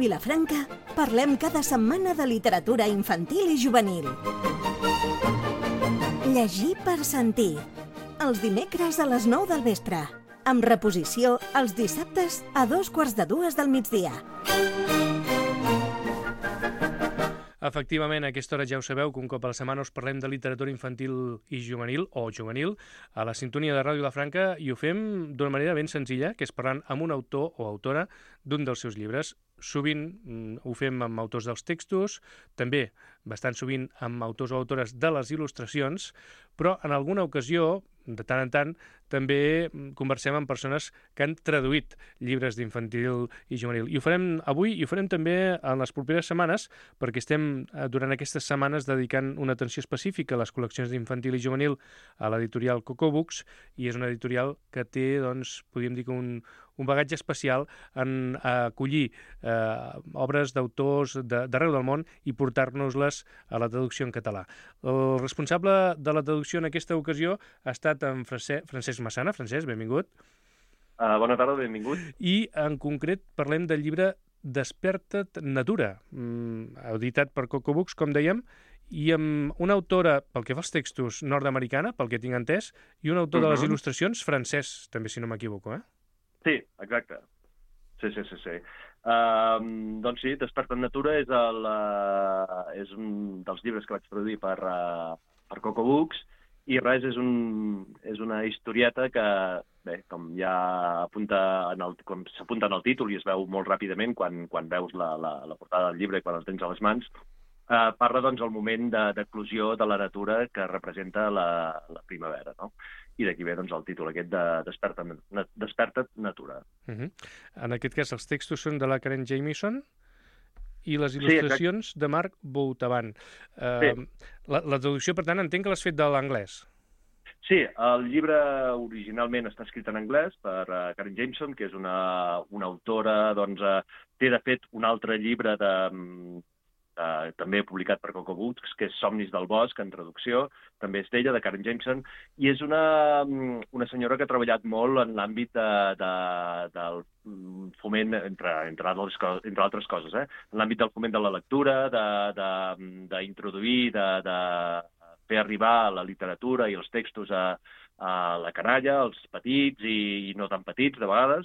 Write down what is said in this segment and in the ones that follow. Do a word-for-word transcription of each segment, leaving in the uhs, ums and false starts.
Vilafranca parlem cada setmana de literatura infantil i juvenil. Llegir per sentir. Els dimecres a les nou del vespre. Amb reposició els dissabtes a dos quarts de dues del migdia. Efectivament, a aquesta hora ja ho sabeu que un cop a la setmana us parlem de literatura infantil i juvenil, o juvenil, a la sintonia de Ràdio Vilafranca, i ho fem d'una manera ben senzilla, que és parlant amb un autor o autora d'un dels seus llibres. Sovint mm, ho fem amb autors dels textos, també bastant sovint amb autors o autores de les il·lustracions, però en alguna ocasió, de tant en tant, també conversem amb persones que han traduït llibres d'infantil i juvenil. I ho farem avui i ho farem també en les properes setmanes, perquè estem durant aquestes setmanes dedicant una atenció específica a les col·leccions d'infantil i juvenil a l'editorial Coco Books, i és una editorial que té, doncs, podríem dir que un, un bagatge especial en acollir eh, obres d'autors d'arreu del món i portar-nos-les a la traducció en català. El responsable de la traducció en aquesta ocasió ha estat en Francesc, Francesc Massana. Francesc, benvingut. Uh, bona tarda, benvingut. I en concret parlem del llibre Desperta't Natura, mm, editat per Coco Books, com dèiem, i amb una autora, pel que fa als textos, nord-americana, pel que tinc entès, i un autor uh-huh. de les il·lustracions, francès, també, si no m'equivoco, eh? Sí, exacte. Sí, sí, sí. sí. Uh, doncs sí, Desperta't Natura és, el, uh, és un dels llibres que vaig traduir per, uh, per Coco Books, i res, és, un, és una historieta que, bé, com ja apunta en el, com s'apunta en el títol i es veu molt ràpidament quan, quan veus la, la, la portada del llibre i quan el tens a les mans, uh, parla doncs el moment d'eclosió de, de la natura que representa la, la primavera, no? I d'aquí ve doncs, el títol aquest de Desperta't, Desperta't Natura. Uh-huh. En aquest cas, els textos són de la Karen Jamieson i les il·lustracions sí, de Marc Boutavan. Uh, sí. la, la traducció, per tant, entenc que l'has fet de l'anglès. Sí, el llibre originalment està escrit en anglès per uh, Karen Jamieson, que és una, una autora, doncs, uh, té de fet un altre llibre de... Um, Uh, també publicat per Coco Books, que és Somnis del Bosc, en traducció, també és d'ella, de Karen Jamieson, i és una, una senyora que ha treballat molt en l'àmbit de, de, del foment, entre, entre, altres, entre altres coses, eh? En l'àmbit del foment de la lectura, d'introduir, de, de, de fer arribar la literatura i els textos a, a la canalla, als petits i, i no tan petits, de vegades,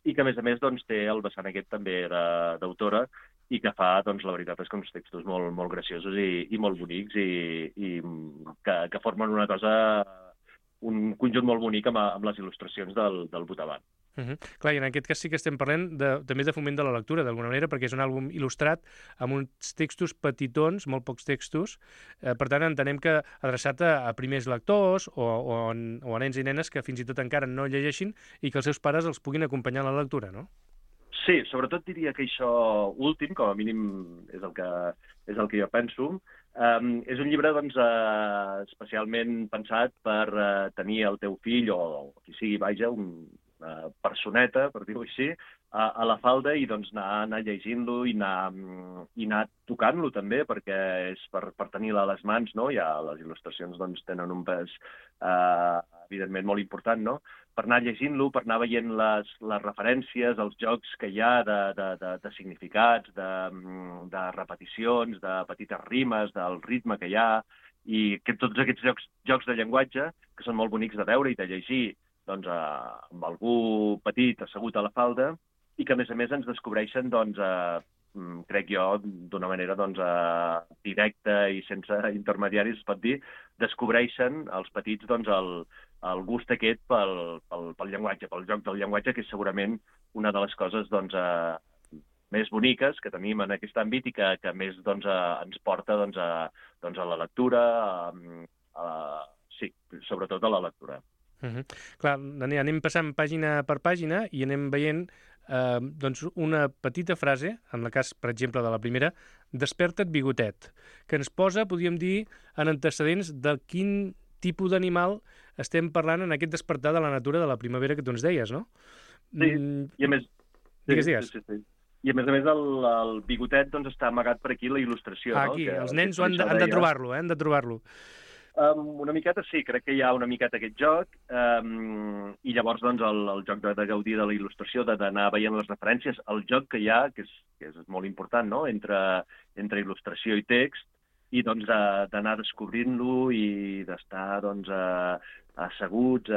i que, a més a més, doncs, té el vessant aquest també d'autora, i que fa, doncs, la veritat és que uns textos molt, molt graciosos i, i molt bonics i, i que, que formen una cosa, un conjunt molt bonic amb, amb les il·lustracions del, del Boutavan. Uh-huh. Clar, i en aquest cas sí que estem parlant de, també de foment de la lectura, d'alguna manera, perquè és un àlbum il·lustrat amb uns textos petitons, molt pocs textos, eh, per tant entenem que adreçat a, a primers lectors o, o, o a nens i nenes que fins i tot encara no llegeixin i que els seus pares els puguin acompanyar en la lectura, no? Sí, sobretot diria que això últim, com a mínim és el que, és el que jo penso, um, és un llibre doncs, uh, especialment pensat per uh, tenir el teu fill o, o qui sigui, vaja, una personeta, per dir-ho així, a, a la falda i doncs, anar, anar llegint-lo i anar, i anar tocant-lo també, perquè és per, per tenir-la a les mans, no? Ja les il·lustracions doncs, tenen un pes uh, evidentment molt important, no? Per anar llegint-lo, per anar veient les, les referències, els jocs que hi ha de, de, de, de significats, de, de repeticions, de petites rimes, del ritme que hi ha, i que tots aquests jocs, jocs de llenguatge, que són molt bonics de veure i de llegir doncs, a, amb algú petit assegut a la falda, i que, a més a més, ens descobreixen, doncs, a, crec jo, d'una manera doncs, a, directa i sense intermediaris, es pot dir, descobreixen els petits doncs, el, el gust aquest pel, pel, pel llenguatge, pel joc del llenguatge, que és segurament una de les coses doncs, eh, més boniques que tenim en aquest àmbit i que, que més doncs, eh, ens porta doncs, a, doncs, a la lectura, a, a, sí, sobretot a la lectura. Uh-huh. Clar, anem passant pàgina per pàgina i anem veient eh, doncs una petita frase, en el cas, per exemple, de la primera, Desperta't bigotet, que ens posa, podríem dir, en antecedents de quin tipus d'animal estem parlant en aquest despertar de la natura de la primavera que tu ens deies, no? Sí, i a més... Digues, digues. Sí, sí, sí. I a més a més el, el bigotet doncs, està amagat per aquí la il·lustració. Ah, aquí, no? Que, els nens han de, han de trobar-lo, eh? han de trobar-lo. Um, una miqueta sí, crec que hi ha una miqueta aquest joc, um, i llavors doncs, el, el joc de, de gaudir de la il·lustració, d'anar veient les referències, el joc que hi ha, que és, que és molt important, no?, entre, entre il·lustració i text, i doncs d'anar descobrint-lo i d'estar doncs, asseguts,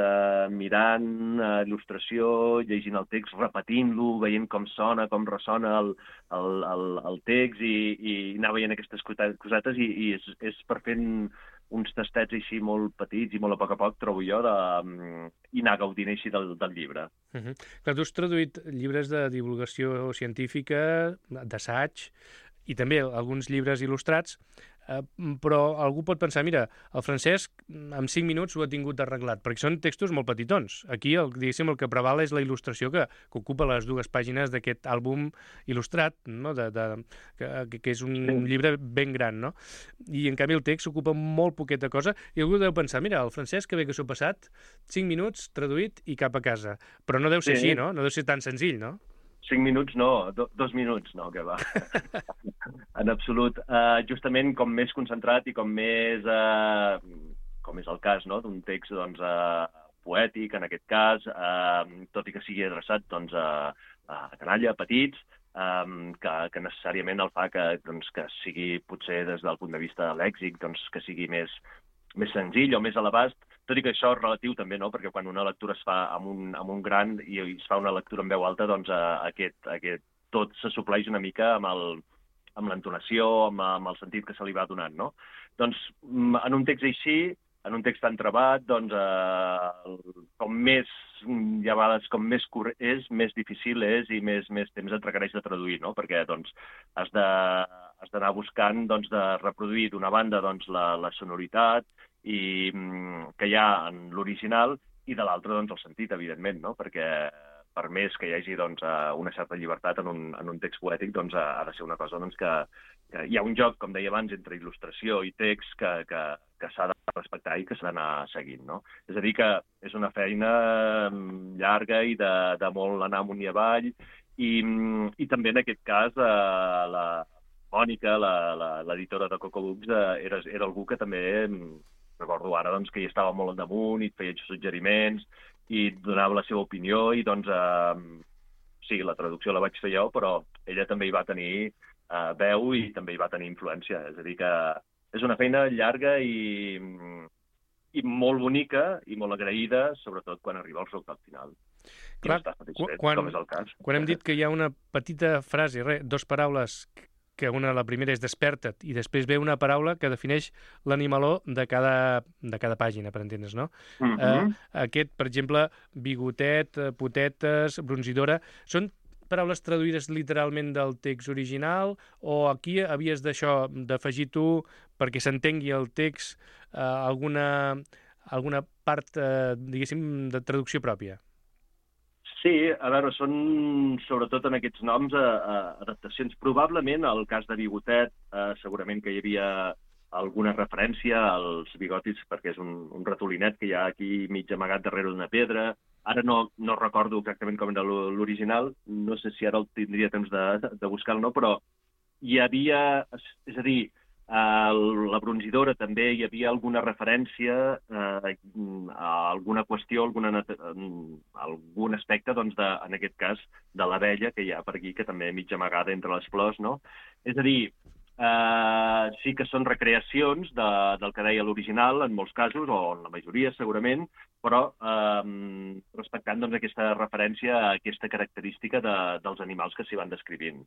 mirant il·lustració, llegint el text, repetint-lo, veient com sona, com ressona el, el, el, el text, i, i anar veient aquestes cosetes, i, i és, és per fent uns tastets així molt petits i molt a poc a poc, trobo jo, de, i anar gaudint així del, del llibre. Uh-huh. Clar, tu has traduït llibres de divulgació científica, d'assaig, i també alguns llibres il·lustrats, eh, però algú pot pensar, mira, el Francesc en cinc minuts ho ha tingut arreglat, perquè són textos molt petitons. Aquí, el, diguéssim, el que preval és la il·lustració que, que ocupa les dues pàgines d'aquest àlbum il·lustrat, no? de, de, que, que és un sí. llibre ben gran, no? I, en canvi, el text ocupa molt poqueta cosa, i algú deu pensar, mira, el Francesc, que bé que s'ho ha passat, cinc minuts, traduït i cap a casa. Però no deu ser sí. així, no? No deu ser tan senzill, no? Cinc minuts no, do, dos minuts no, que va. En absolut. Uh, justament com més concentrat i com més, uh, com és el cas, no?, d'un text doncs, uh, poètic, en aquest cas, uh, tot i que sigui adreçat doncs, a, a canalla, petits, um, que, que necessàriament el fa que, doncs, que sigui, potser des del punt de vista lèxic, doncs, que sigui més, més senzill o més a l'abast, tot i que això és relatiu també, no?, perquè quan una lectura es fa amb un, amb un gran i es fa una lectura en veu alta, doncs uh, aquest, aquest tot se supleix una mica amb el, amb l'entonació, amb, amb el sentit que se li va donant, no? Doncs en un text així, en un text tan trebat, doncs eh, com més, hi ha vegades com més curt és, més difícil és i més, més temps et requereix de traduir, no? Perquè doncs has de, has d'anar buscant doncs, de reproduir d'una banda doncs, la, la sonoritat i que hi ha en l'original i de l'altra doncs, el sentit, evidentment, no? Perquè per més que hi hagi doncs, una certa llibertat en un, en un text poètic, doncs, ha de ser una cosa doncs, que, que hi ha un joc, com deia abans, entre il·lustració i text que, que, que s'ha de respectar i que s'ha d'anar seguint, no? És a dir, que és una feina llarga i de, de molt anar amunt i avall, i, i també en aquest cas eh, la Mònica, l'editora de Coco Books, eh, era, era algú que també, recordo ara, doncs, que hi estava molt al damunt i et feia suggeriments, i donava la seva opinió, i doncs, eh, sí, la traducció la vaig fer jo, però ella també hi va tenir eh, veu i també hi va tenir influència. És a dir, que és una feina llarga i, i molt bonica i molt agraïda, sobretot quan arriba el resultat final. Clar, satisfet, quan, com és el cas. Quan hem dit que hi ha una petita frase, re, dos paraules, que una, la primera és desperta't, i després ve una paraula que defineix l'animaló de cada, de cada pàgina, per entendre's, no? Uh-huh. eh, aquest, per exemple, bigotet, potetes, bronzidora, són paraules traduïdes literalment del text original, o aquí havies d'això, d'afegir tu, perquè s'entengui el text, eh, alguna, alguna part, eh, diguéssim, de traducció pròpia? Sí, a veure, són sobretot en aquests noms eh, adaptacions. Probablement, el cas de Bigotet, eh, segurament que hi havia alguna referència als bigotis, perquè és un, un ratolinet que hi ha aquí mig amagat darrere d'una pedra. Ara no, no recordo exactament com era l'original, no sé si ara el tindria temps de, de buscar-lo, no, però hi havia, és a dir, a la bronzidora també hi havia alguna referència eh, a alguna qüestió, alguna, algun aspecte, doncs, de, en aquest cas, de l'abella que hi ha per aquí, que també mig amagada entre les flors, no? És a dir, eh, sí que són recreacions de, del que deia l'original, en molts casos, o en la majoria, segurament, però eh, respectant doncs, aquesta referència a aquesta característica de, dels animals que s'hi van descrivint.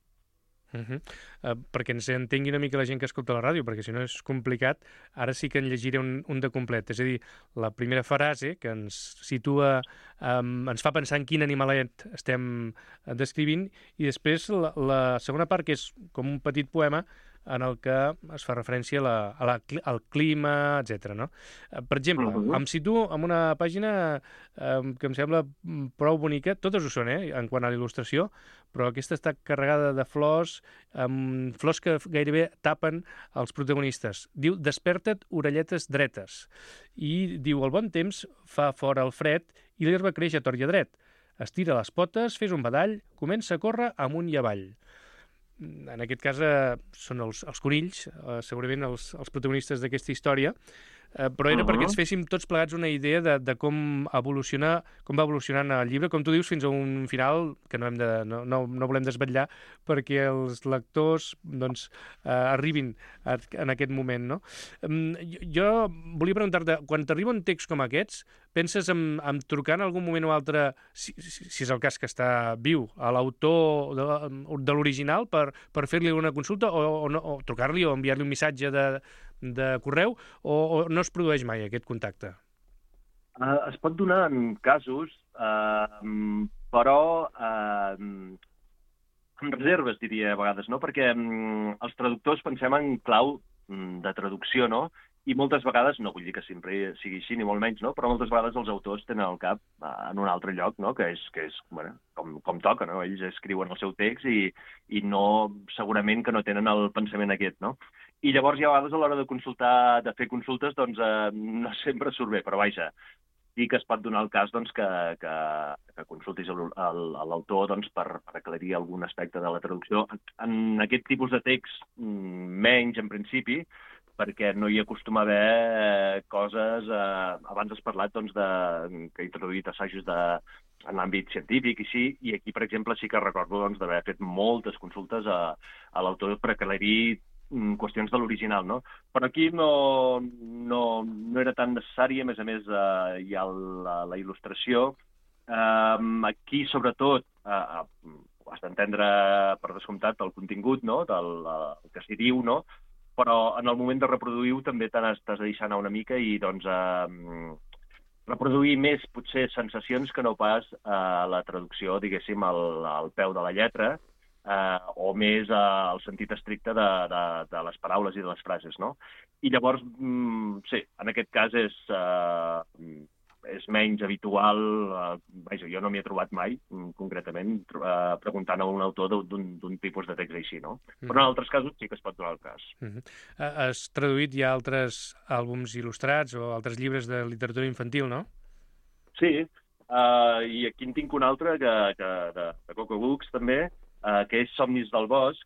Uh-huh. Uh, perquè ens entengui una mica la gent que escolta la ràdio, perquè si no és complicat, ara sí que en llegiré un, un de complet. És a dir, la primera frase que ens situa, um, ens fa pensar en quin animalet estem descrivint, i després la, la segona part, que és com un petit poema en el que es fa referència a la, a la, al clima, etcètera. No? Per exemple, uh-huh. em situo en una pàgina eh, que em sembla prou bonica, totes ho són, eh, en quant a la il·lustració, però aquesta està carregada de flors, amb flors que gairebé tapen els protagonistes. Diu, desperta't, orelletes dretes. I diu, el bon temps fa fora el fred i l'herba creix a tort i a dret. Estira les potes, fes un badall, comença a córrer amunt i avall. En aquest cas eh, són els, els conills, eh, segurament els, els protagonistes d'aquesta història. eh, però era uh -huh. perquè ens féssim tots plegats una idea de, de com evoluciona, com va evolucionant el llibre, com tu dius, fins a un final que no, hem de, no, no, no volem desvetllar perquè els lectors doncs, eh, arribin a, en aquest moment, no? Um, jo, jo volia preguntar-te, quan t'arriba un text com aquests, penses en, en trucar en algun moment o altre, si, si, si és el cas que està viu, a l'autor de, de l'original per, per fer-li una consulta o, o, no, o trucar-li o enviar-li un missatge de, de correu o, o no es produeix mai aquest contacte? Uh, es pot donar en casos, uh, però uh, amb reserves, diria a vegades, no? Perquè um, els traductors pensem en clau um, de traducció, no? I moltes vegades, no vull dir que sempre sigui així, ni molt menys, no? Però moltes vegades els autors tenen el cap uh, en un altre lloc, no? Que és, que és bueno, com, com toca, no? Ells escriuen el seu text i, i no, segurament que no tenen el pensament aquest, no? I llavors hi ha vegades a l'hora de consultar, de fer consultes, doncs eh, no sempre surt bé, però vaja, sí que es pot donar el cas doncs, que, que, que consultis l'autor doncs, per, per aclarir algun aspecte de la traducció. En aquest tipus de text, menys en principi, perquè no hi acostuma a haver coses... Eh, abans has parlat doncs, de, que he traduït assajos de, en l'àmbit científic i sí, i aquí, per exemple, sí que recordo doncs, d'haver fet moltes consultes a, a l'autor per aclarir qüestions de l'original, no? Però aquí no, no, no era tan necessari, a més a més eh, hi ha la, la il·lustració. Eh, aquí, sobretot, eh, has d'entendre, per descomptat, el contingut, no? Del el que s'hi diu, no? Però en el moment de reproduir-ho també t'has de deixar anar una mica i, doncs, eh, reproduir més, potser, sensacions que no pas eh, la traducció, diguéssim, al, al peu de la lletra, Uh, o més uh, el sentit estricte de, de, de les paraules i de les frases, no? I llavors, mm, sí, en aquest cas és, uh, és menys habitual, uh, vaja, jo no m'hi he trobat mai, mm, concretament, uh, preguntant a un autor d'un tipus de text així, no? Mm. Però en altres casos sí que es pot donar el cas. Mm -hmm. uh, has traduït ja altres àlbums il·lustrats o altres llibres de literatura infantil, no? Sí, uh, i aquí en tinc un altre que, que de, de Coco Books, també, Uh, que és Somnis del bosc,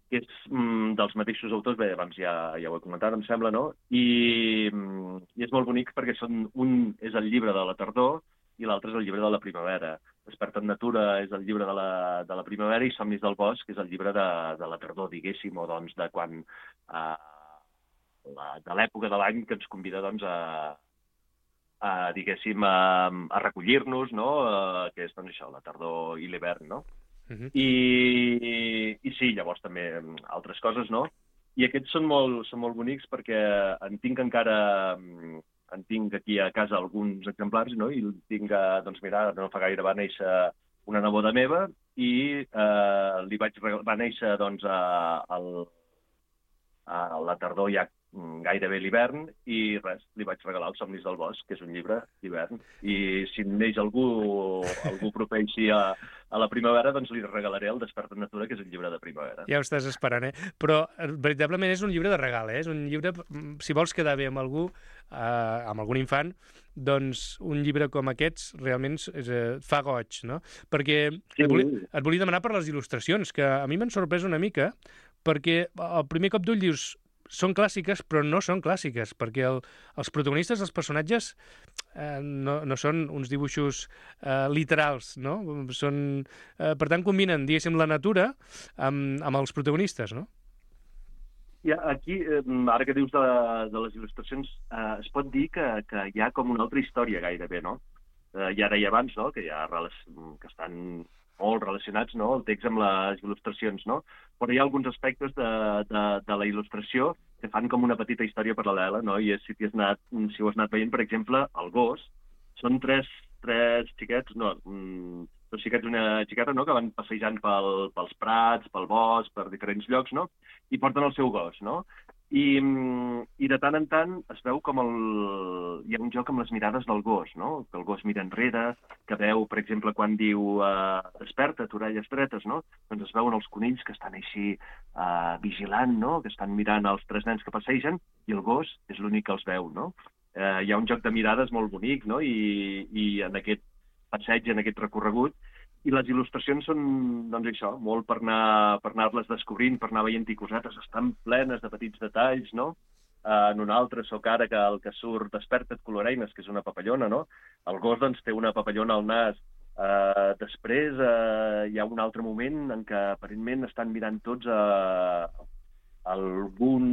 que és mm, dels mateixos autors, bé, abans ja, ja ho he comentat, em sembla, no? I, mm, i és molt bonic perquè són, un és el llibre de la tardor i l'altre és el llibre de la primavera. Desperta en natura és el llibre de la, de la primavera i Somnis del bosc és el llibre de, de la tardor, diguéssim, o doncs de quan... Uh, la, de l'època de l'any que ens convida, doncs, a, a diguéssim, a, a recollir-nos, no? Uh, que és, doncs, això, la tardor i l'hivern, no? Uh-huh. I, i sí, llavors també altres coses, no? I aquests són molt, són molt bonics perquè en tinc encara, en tinc aquí a casa alguns exemplars, no? I tinc, doncs mira, no fa gaire va néixer una neboda meva i eh, li vaig va néixer, doncs, a, a, a la tardor ja gairebé l'hivern i res, li vaig regalar els Somnis del bosc, que és un llibre d'hivern. I si neix algú, algú proper així a, a la primavera, doncs li regalaré el Desperta en natura, que és un llibre de primavera. Ja ho estàs esperant, eh? Però veritablement és un llibre de regal, eh? És un llibre, si vols quedar bé amb algú, eh, amb algun infant, doncs un llibre com aquests realment és, eh, fa goig, no? Perquè sí. et, volia, et volia demanar per les il·lustracions, que a mi m'han sorprès una mica, perquè al primer cop d'ull dius són clàssiques, però no són clàssiques, perquè el, els protagonistes, els personatges, eh, no, no són uns dibuixos eh, literals, no? Són, eh, per tant, combinen, diguéssim, la natura amb, amb els protagonistes, no? Ja, aquí, eh, ara que dius de, de les il·lustracions, eh, es pot dir que, que hi ha com una altra història gairebé, no? Eh, ja deia abans, no?, que hi ha que estan molt relacionats, no?, el text amb les il·lustracions, no? Però hi ha alguns aspectes de, de, de la il·lustració que fan com una petita història paral·lela, no? I és, si, has anat, si ho has anat veient, per exemple, el gos, són tres, tres xiquets, no, dos xiquets i una xiqueta, no?, que van passejant pel, pels prats, pel bosc, per diferents llocs, no?, i porten el seu gos, no? I, i de tant en tant es veu com el... hi ha un joc amb les mirades del gos, no? Que el gos mira enrere, que veu, per exemple, quan diu eh, desperta't, orelles dretes, no? Doncs es veuen els conills que estan així eh, vigilant, no? Que estan mirant els tres nens que passegen i el gos és l'únic que els veu, no? Eh, hi ha un joc de mirades molt bonic, no? I, i en aquest passeig, en aquest recorregut, i les il·lustracions són, doncs això, molt per anar per anar-les descobrint, per anar veient-hi cosetes, estan plenes de petits detalls, no? en un altre sóc ara que el que surt Desperta't coloreines, que és una papallona, no? El gos, doncs, té una papallona al nas. Uh, després uh, hi ha un altre moment en què aparentment estan mirant tots uh, algun,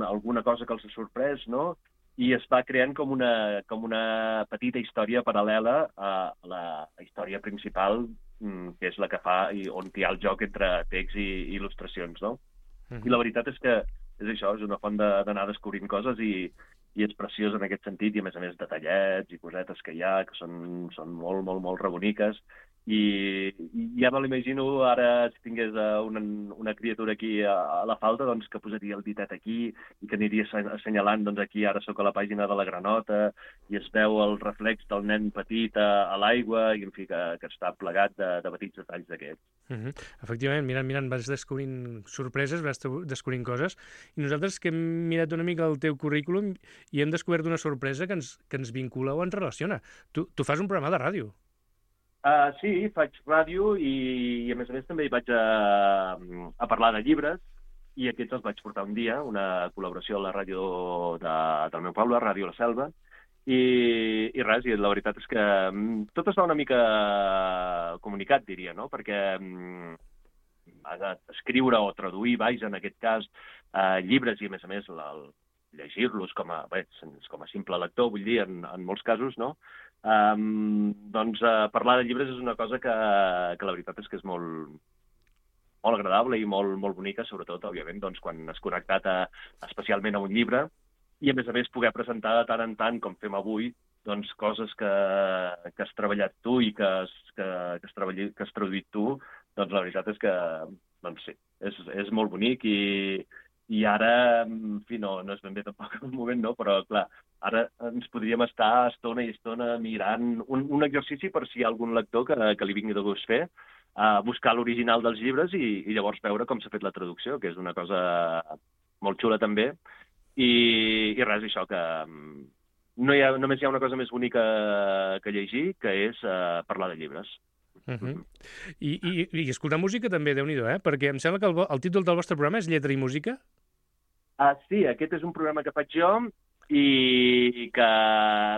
alguna cosa que els ha sorprès, no? I es va creant com una, com una petita història paral·lela a la història principal, que és la que fa, i on hi ha el joc entre text i, i il·lustracions, no? Mm-hmm. I la veritat és que és això, és una font d'anar descobrint coses i, i és preciós en aquest sentit, i a més a més detallets i cosetes que hi ha, que són, són molt, molt, molt reboniques. I, i ja me l'imagino ara, si tingués una, una criatura aquí a, a la falda, doncs que posaria el ditet aquí i que aniria assenyalant, doncs aquí ara sóc a la pàgina de la granota i es veu el reflex del nen petit a, a l'aigua i, en fi, que, que està plegat de, de petits detalls d'aquests. Uh-huh. Efectivament, mirant, mirant, vas descobrint sorpreses, vas descobrint coses, i nosaltres que hem mirat una mica el teu currículum i hem descobert una sorpresa que ens, que ens vincula o ens relaciona. Tu, tu fas un programa de ràdio. Uh, sí, faig ràdio i, i a més a més també hi vaig a, a parlar de llibres, i aquests els vaig portar un dia, una col·laboració a la ràdio de, del meu poble, Ràdio La Selva, i, i res, i la veritat és que tot està una mica comunicat, diria, no? Perquè um, escriure o traduir, vaja, en aquest cas, uh, llibres i a més a més la, llegir-los com a, bé, com a simple lector, vull dir, en, en molts casos, no? Um, doncs uh, parlar de llibres és una cosa que, que la veritat és que és molt, molt agradable i molt, molt bonica, sobretot, òbviament, doncs, quan has connectat a, especialment a un llibre, i a més a més poder presentar de tant en tant, com fem avui, doncs, coses que, que has treballat tu i que has, que, que has, treballat, que has traduït tu, doncs la veritat és que, doncs sí, és, és molt bonic i, i ara, en fi, no, no és ben bé tampoc el moment, no? Però, clar, ara ens podríem estar estona i estona mirant un, un exercici per si hi ha algun lector que, que li vingui de gust fer, a buscar l'original dels llibres i, i llavors veure com s'ha fet la traducció, que és una cosa molt xula també. I, i res, això, que no hi ha, només hi ha una cosa més bonica que llegir, que és uh, parlar de llibres. Uh-huh. I, i, I escoltar música també, Déu-n'hi-do, eh? Perquè em sembla que el, el títol del vostre programa és Lletra i Música. Ah, sí, aquest és un programa que faig jo i que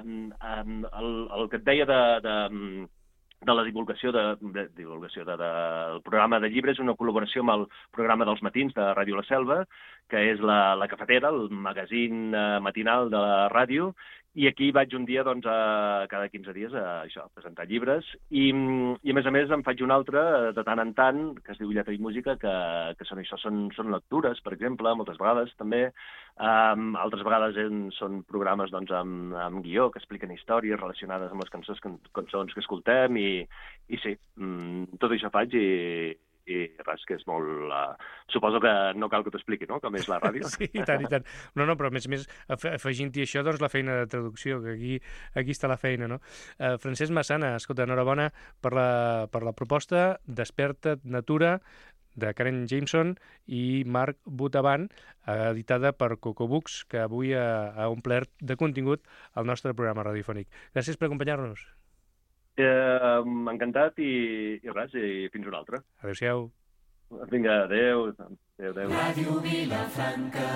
um, el, el que et deia de, de, de la divulgació, de, de, divulgació de, de, del programa de llibres és una col·laboració amb el programa dels matins de Ràdio La Selva, que és la, la Cafetera, el magazín uh, matinal de la ràdio, i aquí vaig un dia, doncs, a, cada quinze dies a, això, a presentar llibres, i, i a més a més em faig un altre de tant en tant, que es diu Lletra i Música, que, que són això, són, són lectures, per exemple, moltes vegades també, um, altres vegades en, són programes, doncs, amb, amb guió, que expliquen històries relacionades amb les cançons, cançons que escoltem, i, i sí, um, tot això faig, i i res, que és molt... Uh, suposo que no cal que t'ho expliqui, no?, com és la ràdio. Sí, i tant, i tant. No, no, però a més a més, afegint-hi això, doncs la feina de traducció, que aquí, aquí està la feina, no? Uh, Francesc Massana, escolta, enhorabona per la, per la proposta Desperta't Natura, de Karen Jameson i Marc Botavan, editada per Cocobooks, que avui ha, ha omplert de contingut el nostre programa radiofònic. Gràcies per acompanyar-nos. Eh, encantat i, i res, i fins una altra. Adéu-siau. Vinga, adéu. Adéu, adéu. Ràdio Vilafranca.